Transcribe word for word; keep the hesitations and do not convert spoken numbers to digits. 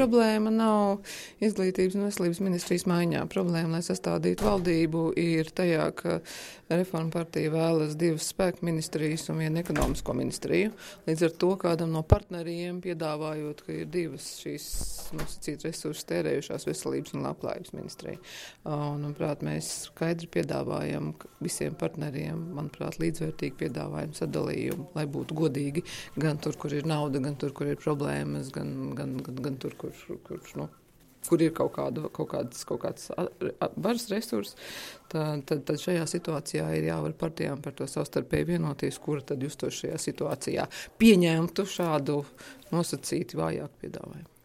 Problēma nav izglītības un veselības ministrijas maiņā. Problēma, lai sastādītu valdību, ir tajā, ka Reforma partija vēlas divas spēku ministrijas un vienu ekonomisko ministriju. Līdz ar to kādam no partneriem piedāvājot, ka ir divas šīs nosacīt resursus tērējušās veselības un labklājības ministrija. Un, manuprāt, mēs skaidri piedāvājam visiem partneriem, manuprāt, līdzvērtīgi piedāvājam sadalījumu, lai būtu godīgi gan tur, kur ir nauda, gan tur, kur ir problēmas, gan, gan, gan, gan tur, kur Kur, kur, nu, kur ir kaut, kādu, kaut kāds, kaut kāds varas resurs, tad, tad, tad šajā situācijā ir jāvar partijām par to savstarpēji vienoties, kura tad justos šajā situācijā pieņemtu šādu nosacīti vājāku piedāvājumu.